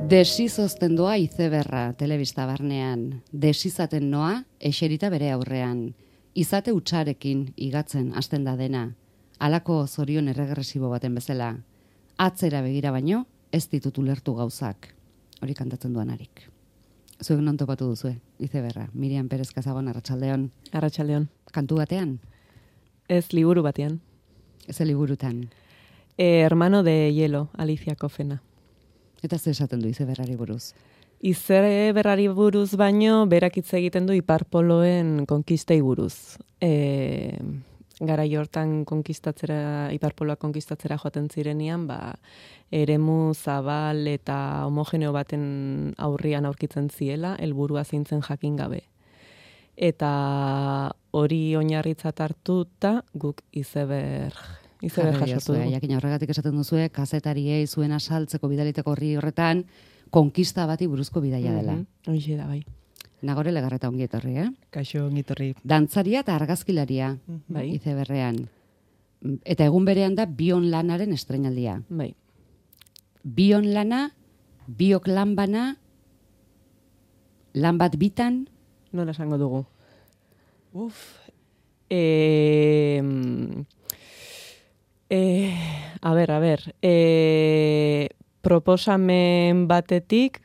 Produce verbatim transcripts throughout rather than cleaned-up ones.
Desizozten doa izeberra telebista barnean, desizaten noa eserita bere aurrean, izate utxarekin igatzen hasten da dena, halako zorion erregresibo baten bezala, atzera begira baino ez ditut ulertu gauzak, hori kantatzen duanarik. Zuek non topatu duzue, izeberra, Miriam Pérez Casagon, Arratsaldeon. Arratsaldeon. Kantu batean? Ez liburu batean. Ez liburutan. Eh, hermano de hielo, Alicia Kofena. Eta ze esaten du izeberrari buruz? Izeberrari buruz baino, berak hitz egiten du iparpoloen konkistei buruz. E, garai hortan konkistatzera, iparpoloak konkistatzera joaten zirenian, ba, eremu zabal eta homogeneo baten aurrian aurkitzen ziela, helburua zintzen jakin gabe. Eta hori oinarritzat hartuta guk izeber izeber jasotu dugu. Jakin horregatik esaten duzue, kazetariei zuen asaltzeko bidaliteko horri horretan, konkista bati buruzko bidaia dela. Mm-hmm. Hoxe da, bai. Nagore Legarreta ongi etorri, eh? Kaixo ongi etorri. Dantzaria eta argazkilaria, bai. Izeberrean. Eta egun berean da bion lanaren estreinaldia. Bai. Bion lana, biok lan bana, lan bat bitan. Nola esango dugu? Uf. Eh, eh, a ber, a ber. Eh, proposamen batetik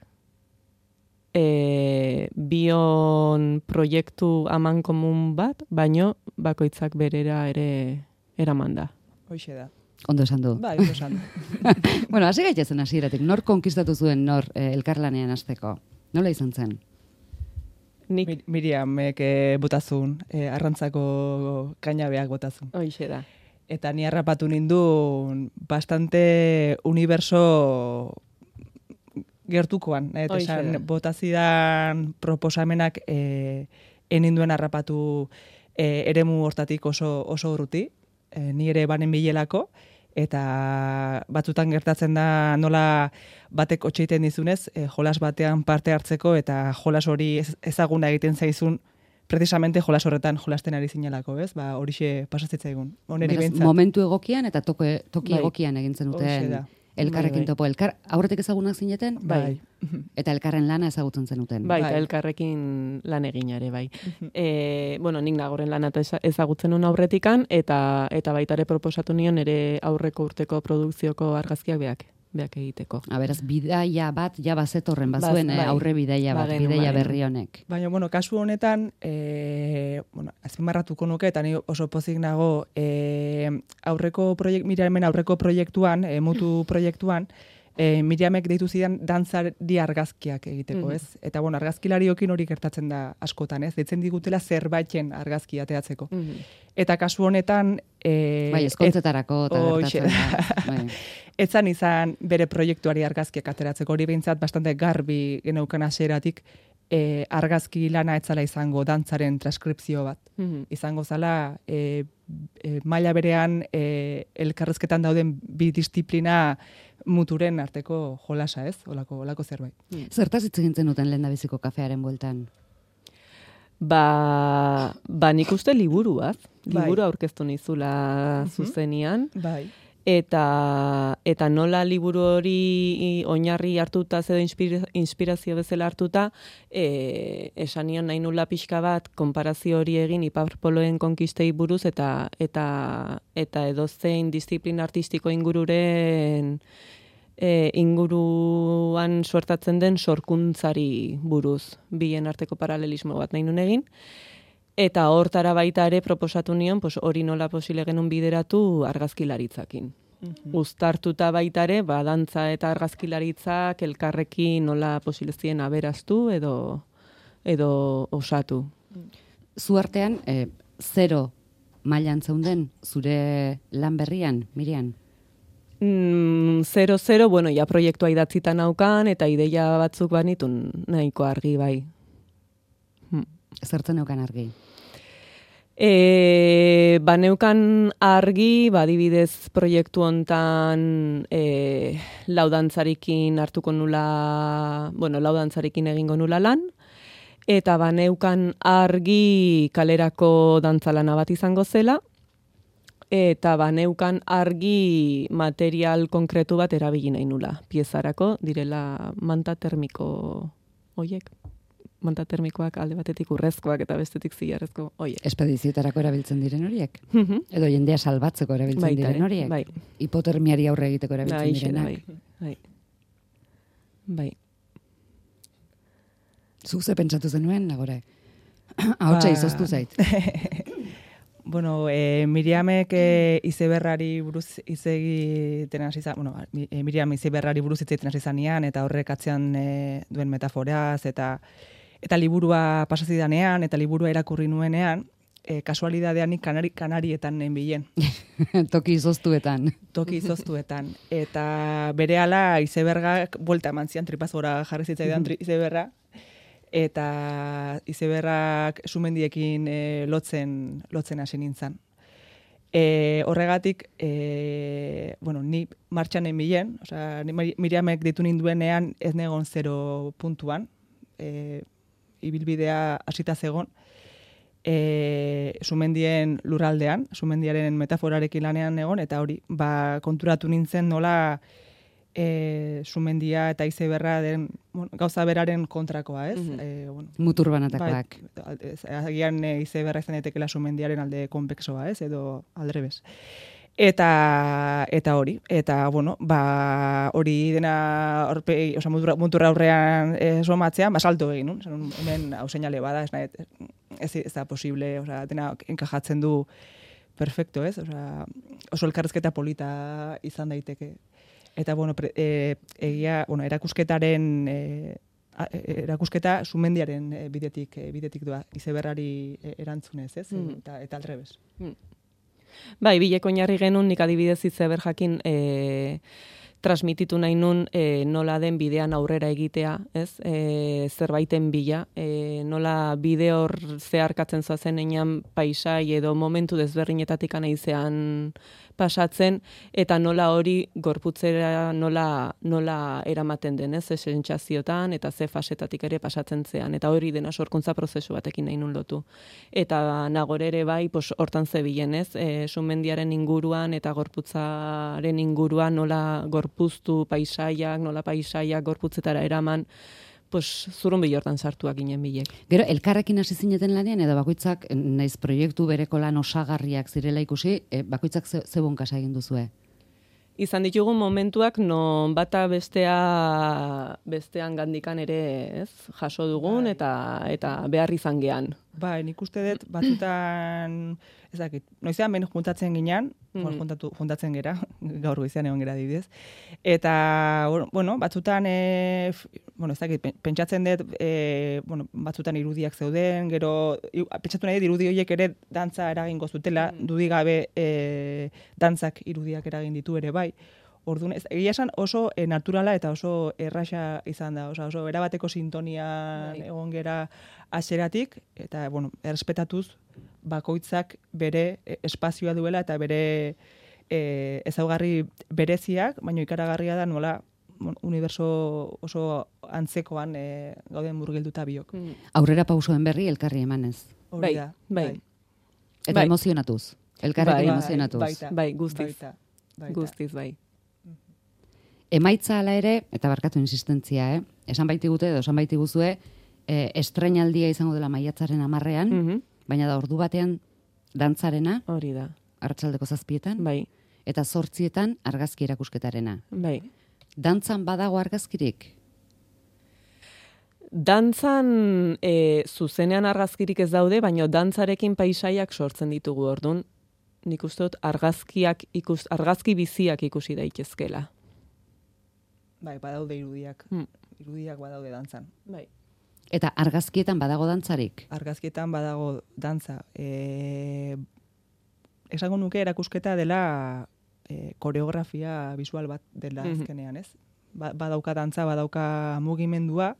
eh, bion proiektu aman komun bat, baino bakoitzak berera ere eraman da. Hoxe da. Ondo esan du. Bai, ondo esan du. Bueno, hasi gaitezen hasieratik. Nor konkistatu zuen nor eh, elkarlanean hasteko? Nola izan zen? Nik Mir Miriamek eh, botazun, eh, arrantzako kainabeak botazun. hoxe da. Eta ni harrapatu nindun bastante universo gertukoan. Eta Hoxe esan da. botazidan proposamenak eh, eninduen harrapatu eh, eremu hortatik oso, oso urruti. Eh, ni ere banen bilelako. Eta batzutan gertatzen da nola batek otxeiten dizunez, eh, jolas batean parte hartzeko eta jolas hori ez, ezaguna egiten zaizun, precisamente jolas horretan jolasten ari zinelako, ez? Ba, horixe pasazitzaigun. Oneri Beraz, behintzat. momentu egokian eta toke, toki Bai. egokian egin zenuten Hoxe da. elkarrekin Bai, bai. topo. Elkar, aurretik ezagunak zineten? Bai. Eta elkarren lana ezagutzen zenuten. Bai, Bai. eta elkarrekin lan egin ere, bai. E, bueno, nik nagoren lan eta eza- ezagutzen nun aurretikan, eta eta baita ere proposatu nion ere aurreko urteko produkzioko argazkiak beak, beak egiteko. A beraz, bidaia bat ja bazetorren bazuen, Baz- eh, bai. aurre bidaia bat, Bagenu, bidaia bagenu. berri honek. Baina, bueno, kasu honetan, e, bueno, azpimarratuko nuke, eta ni oso pozik nago, e, aurreko proiekt, Miriamen aurreko proiektuan, e, mutu proiektuan, e, Miriamek deitu zidan dantzari argazkiak egiteko, Mhm. ez? Eta, bueno, argazkilariokin hori gertatzen da askotan, ez? Deitzen digutela zerbaiten argazki ateatzeko. Mhm. Eta kasu honetan... E, Bai, ezkontzetarako eta Hoxe gertatzen da. Bai. etzan izan bere proiektuari argazkiak ateratzeko, hori behintzat bastante garbi geneukan hasieratik, e, argazki lana etzala izango dantzaren transkripzio bat. Mhm. Izango zala e, e, maila berean e, elkarrezketan dauden bi disiplina muturen arteko jolasa, ez? Olako, olako zerbait. Zertaz hitz egin zenuten lehendabiziko kafearen bueltan? Ba, ba nik uste liburuaz, Bai. liburu aurkeztu nizula Mhm. zuzenian, Bai. eta eta nola liburu hori oinarri hartuta edo inspira, inspirazio bezala hartuta, e, esan nion nahi nula pixka bat konparazio hori egin iparpoloen konkistei buruz eta eta eta edozein disiplina artistiko ingururen e, inguruan suertatzen den sorkuntzari buruz, bien arteko paralelismo bat nahi nun egin. Eta hortara baita ere proposatu nion, pues, hori nola posile genuen bideratu argazkilaritzakin. Uztartuta baita ere, ba, dantza eta argazkilaritzak elkarrekin nola posile zien aberaztu edo, edo osatu. Zu artean, eh, zero mailan zeunden zure lan berrian, Miriam? Mm, zero, zero, bueno, ja proiektua idatzita naukan, eta ideia batzuk banitun nahiko argi bai. Zertzen neukan argi? E, baneukan argi, badibidez proiektu hontan e, laudantzarekin hartuko nula, bueno, laudantzarekin egingo nula lan, eta baneukan argi kalerako dantzalana bat izango zela, eta baneukan argi material konkretu bat erabili nahi nula. Piezarako direla manta termiko hoiek. Manta termikoak alde batetik urrezkoak eta bestetik zilarrezko hoiek. Espedizioetarako erabiltzen diren horiek? Edo jendea salbatzeko erabiltzen Baita, diren horiek? Bai. Hipotermiari aurre egiteko erabiltzen Bai, direnak? Bai, bai. Bai. Zuk ze pentsatu zenuen, Nagore? Ahotsa izoztu zait. Bueno, eh, Miriamek eh, izeberrari buruz hitz egiten hasi izan, bueno, eh, Miriam izeberrari buruz hitz egiten hasi izanean eta horrek atzean eh, duen metaforaz eta eta liburua pasazidanean eta liburua irakurri nuenean, eh, kasualidadean nik kanari, kanarietan nenbilen. Toki izoztuetan. Toki izoztuetan. Eta berehala izebergak buelta eman zian tripazora jarri zitzaidan tri, izeberra. Eta izeberrak sumendiekin e, lotzen lotzen hasi nintzen. E, horregatik, e, bueno, ni martxan emilen, osea, ni Miriamek ditu ninduenean ez negon zero puntuan, e, ibilbidea hasita zegon, e, sumendien lurraldean, sumendiaren metaforarekin lanean egon, eta hori, ba, konturatu nintzen nola E, sumendia eta izeberra den bueno, gauza beraren kontrakoa, ez? Mm -hmm. e, bueno, Mutur banatakoak. Bai, agian e, izeberra izan daitekeela sumendiaren alde konplexoa, ez? Edo aldrebes. Eta eta hori, eta bueno, ba hori dena aurpegi, osea muturra aurrean e, somatzean, ba salto egin, no? Hemen hau seinale bada, ez nahi, ez, ez da posible, osea dena enkajatzen du perfecto, ez? Osea oso elkarrizketa polita izan daiteke. Eta, bueno, pre, e, egia, bueno, erakusketaren, e, erakusketa sumendiaren e, bidetik, e, bidetik doa, izeberrari e, erantzunez, ez? Mm. Eta, eta aldrebes. Mm. Bai, bileko oinarri genuen, nik adibidez izeber jakin e, transmititu nahi nun e, nola den bidean aurrera egitea, ez? E, zerbaiten bila, e, nola bide hor zeharkatzen zoazen einan paisai edo momentu desberdinetatik anaizean pasatzen, eta nola hori gorputzera nola, nola eramaten den, ez? Ze sentsaziotan eta ze fasetatik ere pasatzen zean, eta hori dena sorkuntza prozesu batekin nahi nun lotu. Eta Nagore ere bai, pos, hortan zebilen, ez? E, sumendiaren inguruan eta gorputzaren inguruan nola gorpuztu paisaiak, nola paisaiak gorputzetara eraman, pues zurun bilortan sartuak ginen bilek. Gero, elkarrekin hasi zineten lanean, edo bakoitzak, naiz proiektu bereko lan osagarriak zirela ikusi, e, bakoitzak ze, zebon kasa egin duzue? Izan ditugu momentuak non bata bestea bestean gandikan ere, ez, jaso dugun eta eta behar izan gean. Bai, nik uste dut batzutan, ez dakit, noizean behin juntatzen ginean, mm -hmm. juntatu, juntatzen gera, gaur goizean egon gera dibidez. Eta, bueno, batzutan, e, bueno, ez dakit, pentsatzen dut, e, bueno, batzutan irudiak zeuden, gero, pentsatu nahi irudi horiek ere dantza eragingo zutela, mm -hmm. dudigabe e, dantzak irudiak eragin ditu ere bai. Orduan, egia esan oso e, naturala eta oso erraxa izan da, oso, oso erabateko sintonia egon gera hasieratik eta, bueno, errespetatuz bakoitzak bere espazioa duela eta bere e, ezaugarri bereziak, baina ikaragarria da nola bueno, uniberso oso antzekoan e, gauden murgilduta biok. Mm. Aurrera pausoen berri elkarri emanez. Bai, bai, bai. Eta bai. emozionatuz. Elkarrekin bai, emozionatuz. Baita, bai, guztiz. Baita, baita. Guztiz, bai. Emaitza ala ere, eta barkatu insistentzia, eh? esan baitigute edo esan baitiguzue, eh, estreinaldia izango dela maiatzaren hamarrean, mm -hmm. baina da ordu batean dantzarena, hori da, arratsaldeko zazpietan, bai. eta zortzietan argazki erakusketarena. Bai. Dantzan badago argazkirik? Dantzan e, zuzenean argazkirik ez daude, baina dantzarekin paisaiak sortzen ditugu ordun. Nik uste dut argazkiak ikus, argazki biziak ikusi daitezkela. Bai, badaude irudiak. Hmm. Irudiak badaude dantzan. Bai. Eta argazkietan badago dantzarik? Argazkietan badago dantza. E, esango nuke erakusketa dela e, koreografia visual bat dela azkenean, ez? Ba, badauka dantza, badauka mugimendua,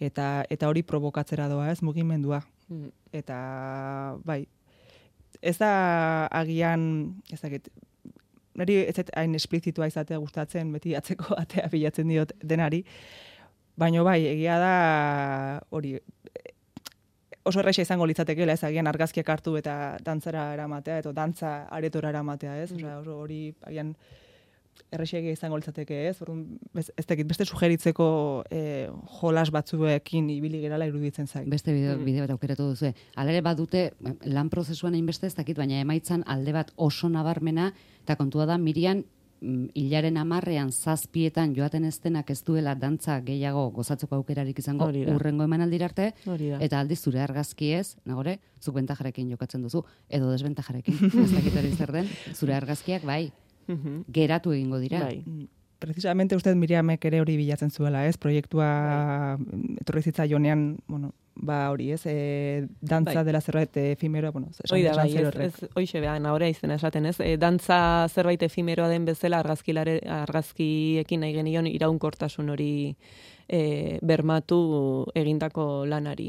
eta eta hori provokatzera doa, ez? Mugimendua. Mm. Eta, bai, ez da agian, ez dakit, niri ez zait hain esplizitua izatea gustatzen, beti atzeko atea bilatzen diot denari, baina bai, egia da hori oso erraisa izango litzatekeela, ez agian argazkiak hartu eta dantzara eramatea, eta dantza aretora eramatea, ez? Osea, oso hori agian errexegia izango litzateke, ez? Orduan, ez dakit, beste sugeritzeko eh, jolas batzuekin ibili gerala iruditzen zait. Beste bide, bide bat aukeratu duzu. Hala ere badute lan prozesuan hainbeste ez dakit, baina emaitzan alde bat oso nabarmena, eta kontua da Miriam hilaren amarrean zazpietan joaten ez denak ez duela dantza gehiago gozatzeko aukerarik izango urrengo emanaldira arte, eta aldiz zure argazkiez, nagore, zuk bentajarekin jokatzen duzu, edo desbentajarekin, ez dakit hori zer den, zure argazkiak bai, geratu egingo dira. Bai. Precisamente usted Miriamek ere hori bilatzen zuela, ez? Proiektua etorri zitzaionean, bueno, ba hori, ez? E, dantza bai. Dela zerbait efimeroa, bueno, esan, Oida, esan bai, ez, ez, hoixe behan, ahora izena esaten, ez? E, dantza zerbait efimeroa den bezala argazkilare, argazkiekin nahi genion iraunkortasun hori e, bermatu egindako lanari.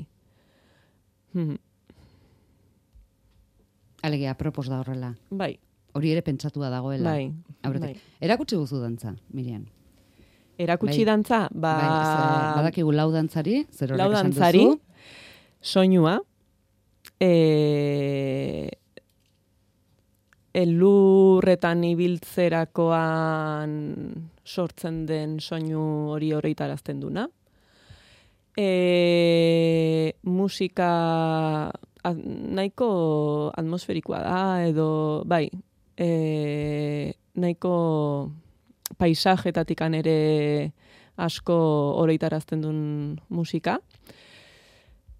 Alegia, apropos da horrela. Bai. Hori ere pentsatua dagoela. Bai, bai. Erakutsi guzu dantza, Miriam. Erakutsi bai. Dantza, ba... Bai, badakigu lau dantzari, zer horrek lau esan duzu. dantzari, soinua, e... elurretan ibiltzerakoan sortzen den soinu hori horreitarazten duna. E... Musika nahiko atmosferikoa da, edo, bai, E, nahiko paisajetatik ere asko oroitarazten duen musika.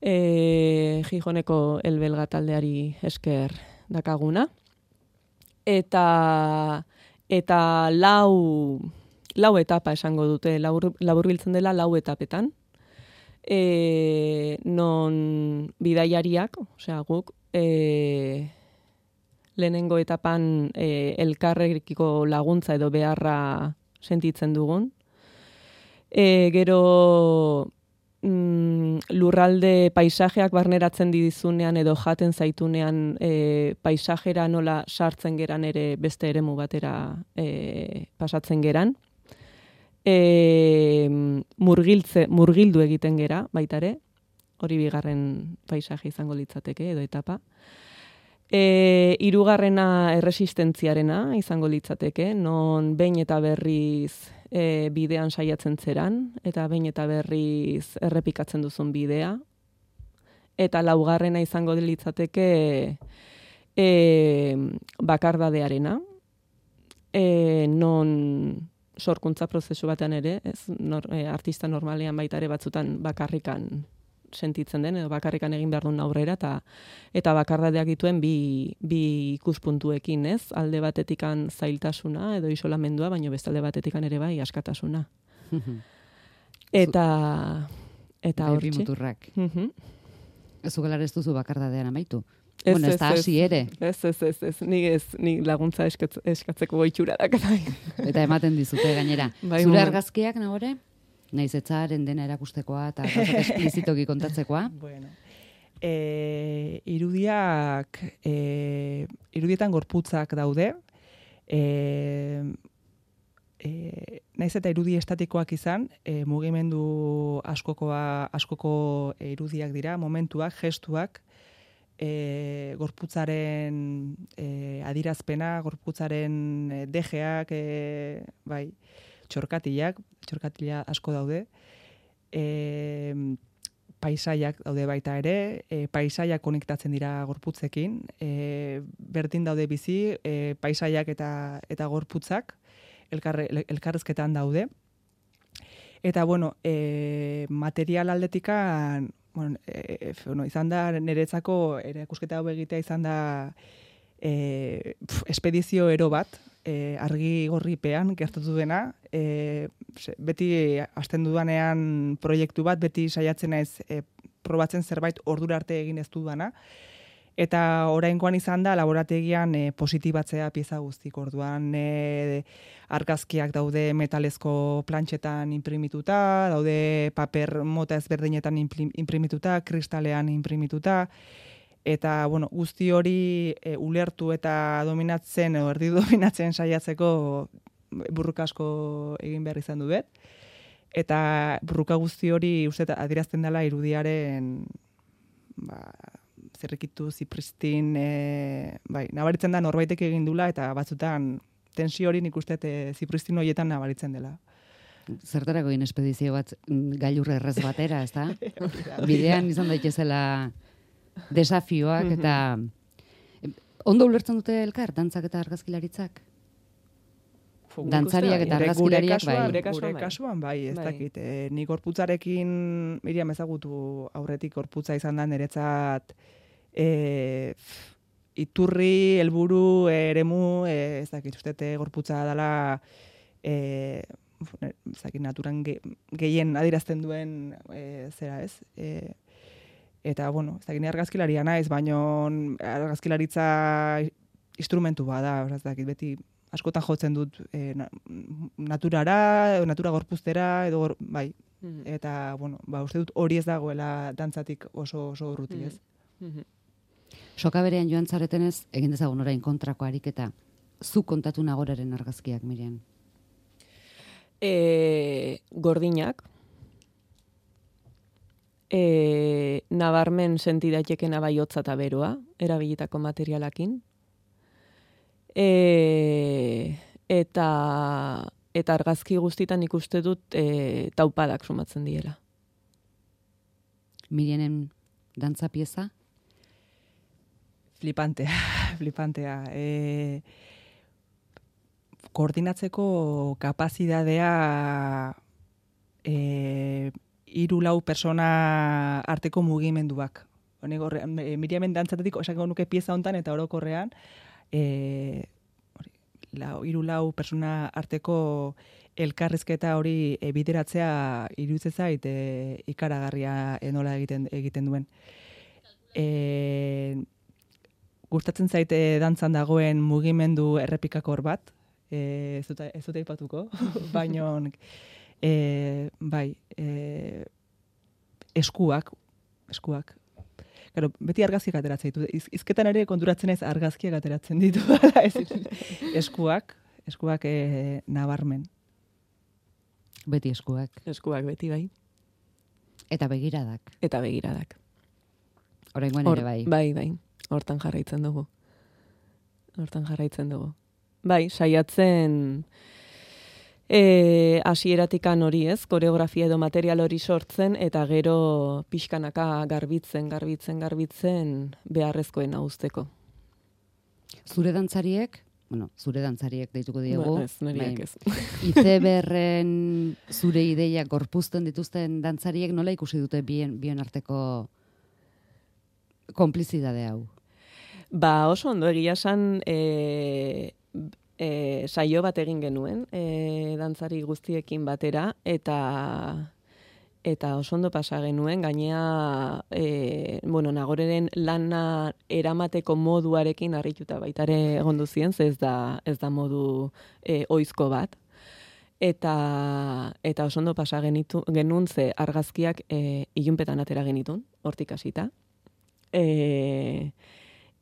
E, Gijoneko elbelga taldeari esker dakaguna. Eta, eta lau, lau etapa esango dute, laburbiltzen dela lau etapetan. E, non bidaiariak, osea guk, e, lehenengo etapan e, elkarrekiko laguntza edo beharra sentitzen dugun. E, gero mm, lurralde paisajeak barneratzen dizunean edo jaten zaitunean e, paisajera nola sartzen geran ere beste eremu batera e, pasatzen geran. E, murgiltze, murgildu egiten gera baitare, hori bigarren paisaje izango litzateke edo etapa. E, irugarrena erresistentziarena izango litzateke, non behin eta berriz e, bidean saiatzen zeran, eta behin eta berriz errepikatzen duzun bidea. Eta laugarrena izango litzateke e, bakardadearena, e, non sorkuntza prozesu batean ere, ez, nor, e, artista normalean baita ere batzutan bakarrikan sentitzen den, edo bakarrikan egin behar duen aurrera, eta, eta bakardadeak dituen bi, bi ikuspuntuekin, ez? Alde batetikan zailtasuna, edo isolamendua, baino bestalde batetikan ere bai askatasuna. eta, eta bai, hortxe. Bi muturrak. Ez ugelar ez duzu bakardadean amaitu. Ez, bueno, ez da hasi ere. Ez, ez, ez, ez, nik ez, nik laguntza eskatz, eskatzeko goitxura da. Eta ematen dizute gainera. Bai, zure argazkiak, nagore? Naiz etzaren dena erakustekoa eta esplizitoki kontatzekoa. Bueno, e, irudiak, e, irudietan gorputzak daude, e, e, naiz eta irudi estatikoak izan, e, mugimendu askokoa, askoko irudiak dira, momentuak, gestuak, e, gorputzaren e, adirazpena, gorputzaren e, dejeak, e, bai, txorkatilak, txorkatila asko daude, e, paisaiak daude baita ere, e, paisaiak konektatzen dira gorputzekin, e, berdin daude bizi, e, paisaiak eta, eta gorputzak elkar, elkarrezketan daude. Eta, bueno, e, material aldetikan, bueno, e, bueno, izan da, niretzako erakusketa hau egitea izan da e, pf, espedizio ero bat, e, argi gorripean gertatu dena, e, beti hasten dudanean proiektu bat, beti saiatzen naiz e, probatzen zerbait ordura arte egin ez dudana, eta oraingoan izan da laborategian e, positibatzea pieza guztik, orduan e, argazkiak daude metalezko plantxetan imprimituta, daude paper mota ezberdinetan imprimituta, kristalean imprimituta, eta, bueno, guzti hori e, ulertu eta dominatzen, edo erdi dominatzen saiatzeko burruka asko egin behar izan du bet. Eta burruka guzti hori uste adierazten dela irudiaren ba, zirrikitu, zipristin, e, bai, nabaritzen da norbaitek egin dula, eta batzutan tensio hori nik uste e, zipristin horietan nabaritzen dela. Zertarako egin espedizio bat gailur errez batera, ez da? Bidean izan daitezela desafioak, eta ondo ulertzen dute elkar, dantzak eta argazkilaritzak? Dantzariak eta argazkilariak bai. Gure kasuan bai, ez dakit. E, nik gorputzarekin, Miriam ezagutu aurretik gorputza izan da niretzat e, iturri, helburu, eremu, e, ez dakit, ustete gorputza dela e, ez dakit, naturan ge, gehien adirazten duen e, zera ez. E, eta, bueno, ez dakit, argazkilaria naiz, baino argazkilaritza instrumentu bada, ez dakit, beti askotan jotzen dut e, naturara, natura gorpuztera, edo gor, bai. Mm-hmm. Eta, bueno, ba, uste dut hori ez dagoela dantzatik oso, oso urruti, ez? Mm-hmm. Soka berean joan zaretenez, egin dezagun orain kontrako ariketa. Zu kontatu nagoraren argazkiak, Miriam? E, gordinak. E, nabarmen sentidaitekena bai hotza eta beroa, erabilitako materialakin. E, eta eta argazki guztitan ikuste dut e, taupadak sumatzen diela. Mirianen dantza pieza? Flipantea, flipantea. E, koordinatzeko kapazitatea e, hiru lau persona arteko mugimenduak. Honek, Miriamen dantzatetik esako nuke pieza hontan eta orokorrean, E, lau, iru lau persona arteko elkarrizketa hori e, bideratzea iruditzen zait e, ikaragarria enola egiten egiten duen. E, gustatzen zaite dantzan dagoen mugimendu errepikakor bat, e, ez dut ez dut aipatuko, baino e, bai, e, eskuak, eskuak Claro, beti argazkiak ateratzen ditu. Iz, izketan ere konturatzen ez argazkiak ateratzen ditu. eskuak, eskuak e, nabarmen. Beti eskuak. Eskuak beti bai. Eta begiradak. Eta begiradak. Oraingoan ere bai. Bai, bai. Hortan jarraitzen dugu. Hortan jarraitzen dugu. Bai, saiatzen E, asieratikan hori ez, koreografia edo material hori sortzen, eta gero pixkanaka garbitzen, garbitzen, garbitzen beharrezkoena uzteko. Zure dantzariek, bueno, zure dantzariek deituko diegu. Ba, ez, neriak ez. Izeberren zure ideia gorpuzten dituzten dantzariek nola ikusi dute bien, bien arteko konplizidade hau? Ba, oso ondo egia esan, e, E, saio bat egin genuen, e, dantzari guztiekin batera, eta eta oso ondo pasa genuen, gainea, e, bueno, Nagoreren lana eramateko moduarekin harrituta baitare egon duzien, ze ez da, ez da modu e, oizko bat. Eta, eta oso ondo pasa genitu, genuen ze argazkiak e, ilunpetan atera genitun, hortik hasita. E,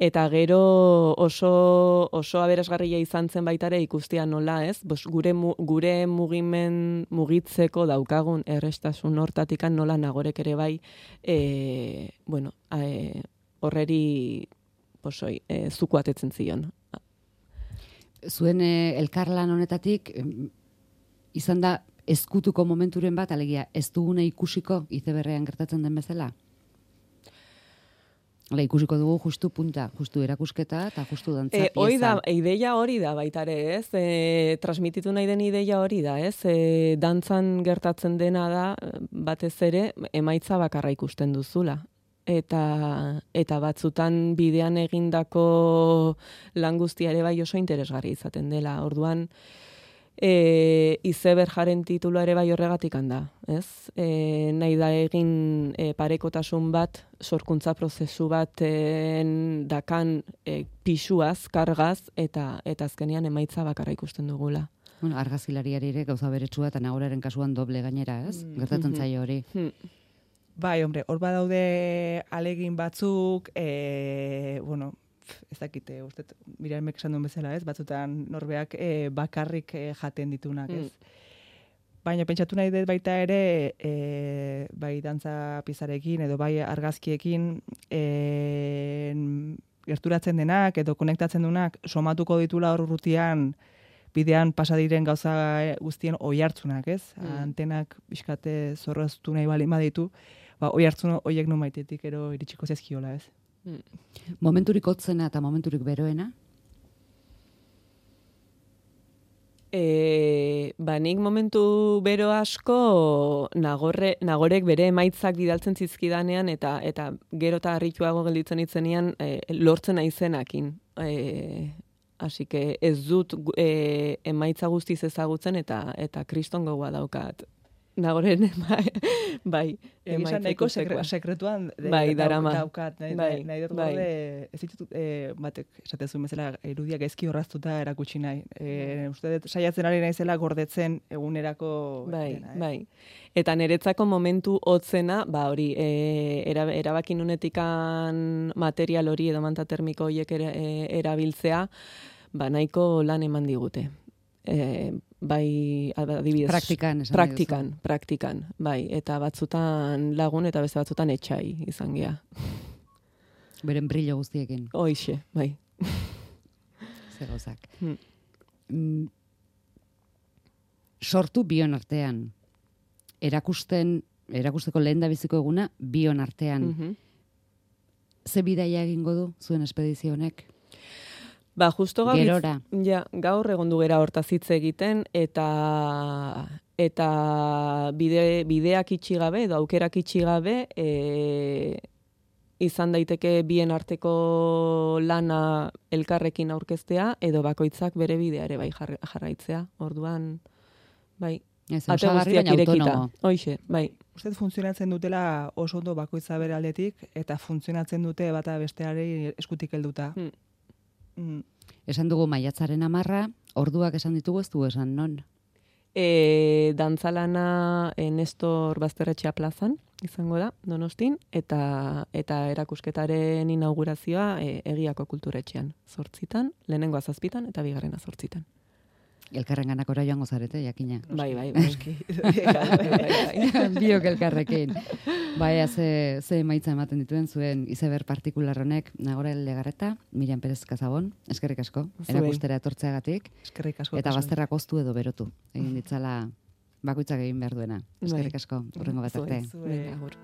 Eta gero oso oso aberasgarria izan zen baitare ikustea nola, ez? Bos, gure gure mugimen mugitzeko daukagun errestasun hortatikan nola Nagorek ere bai, e, bueno, e, horreri posoi, e, zuku atetzen zion. Zuen e, elkarlan honetatik izan da ezkutuko momenturen bat, alegia ez dugune ikusiko Izeberrean gertatzen den bezala? Hala, ikusiko dugu justu punta, justu erakusketa eta justu dantza pieza. E, hori da, ideia hori da baitare, ez? E, transmititu nahi den ideia hori da, ez? E, dantzan gertatzen dena da, batez ere, emaitza bakarra ikusten duzula. Eta, eta batzutan bidean egindako lan guztia ere bai oso interesgarri izaten dela. Orduan, E, Izeber jaren titulua ere bai horregatik handa, ez? E, nahi da egin e, parekotasun bat, sorkuntza prozesu bat e, dakan e, pisuaz, kargaz, eta eta azkenean emaitza bakarra ikusten dugula. Bueno, argazkilariari ere gauza beretsua eta Nagoraren kasuan doble gainera, ez? Gertatzen zaio hori. Bai, hombre, hor badaude alegin batzuk, e, bueno, ez dakite, uste, Miriamek esan duen bezala, ez? Batzutan norbeak e, bakarrik e, jaten ditunak, ez? Mm. baina pentsatu nahi dut baita ere, e, bai dantza pizarekin edo bai argazkiekin e, gerturatzen denak edo konektatzen dunak somatuko ditula hor urrutian bidean pasa diren gauza guztien oihartzunak, ez? Mm. Antenak bizkate zorroztu nahi bali baditu, ba oihartzun horiek no maitetik ero iritsiko zaizkiola, ez? Mm. Momenturik hotzena eta momenturik beroena? E, ba, nik momentu bero asko nagorre, nagorek bere emaitzak bidaltzen zizkidanean eta eta gero eta harrituago gelditzen itzenean e, lortzen aizenakin. E, Así que ez dut e, emaitza guztiz ezagutzen eta eta kriston gogoa daukat. Nagoren, bai, bai emaitzeko nahiko sekre, sekretuan de, bai, darama. daukat. Nahi, bai, nahi dut bai. Gorde, ez ditut, e, batek, esatezun bezala, irudiak ezki horraztuta erakutsi nahi. E, uste dut, saiatzen ari naizela gordetzen egunerako... Bai, dena, eh? bai. Eta niretzako momentu hotzena, ba hori, e, erabakin unetikan material hori edo manta termiko horiek era, e, erabiltzea, ba nahiko lan eman digute. E, bai, adibidez, praktikan, esan praktikan, praktikan, bai, eta batzutan lagun eta beste batzutan etxai izan gea. Beren brillo guztiekin. Hoixe, bai. Ze gauzak. Hmm. Mm. Sortu bion artean. Erakusten, erakusteko lehen da biziko eguna bion artean. Mm-hmm. Ze bidaia egingo du zuen espedizio honek? Ba, justo gaur, Gerora. Ja, gaur egondu gera hortaz hitz egiten eta eta bide, bideak itxi gabe edo aukerak itxi gabe e, izan daiteke bien arteko lana elkarrekin aurkeztea edo bakoitzak bere bidea ere bai jarraitzea. Orduan, bai, ez, ate guztiak irekita. Hoixe, bai. Uste funtzionatzen dutela oso ondo bakoitza bere aldetik eta funtzionatzen dute bata besteari eskutik helduta. Hmm. Mm. Esan dugu maiatzaren amarra, orduak esan ditugu ez du esan non? E, dantzalana e, Nestor Bazterretxea plazan izango da, Donostin, eta eta erakusketaren inaugurazioa e, Egiako kulturetxean, zortzitan, lehenengoa zazpitan eta bigarrena zortzitan. Elkarren ganakora joango zarete, jakina. Bai, bai, bai. bai, bai, bai. Biok elkarrekin. Bai, ze, ze emaitza ematen dituen zuen izeber partikular honek, Nagore Legarreta, Miriam Perez Kazabon, eskerrik asko, erakustera etortzeagatik. Eskerrik asko. Eta bazterrak oztu edo berotu. Egin ditzala bakoitzak egin behar duena. Eskerrik asko, hurrengo bat arte. Venga, agur.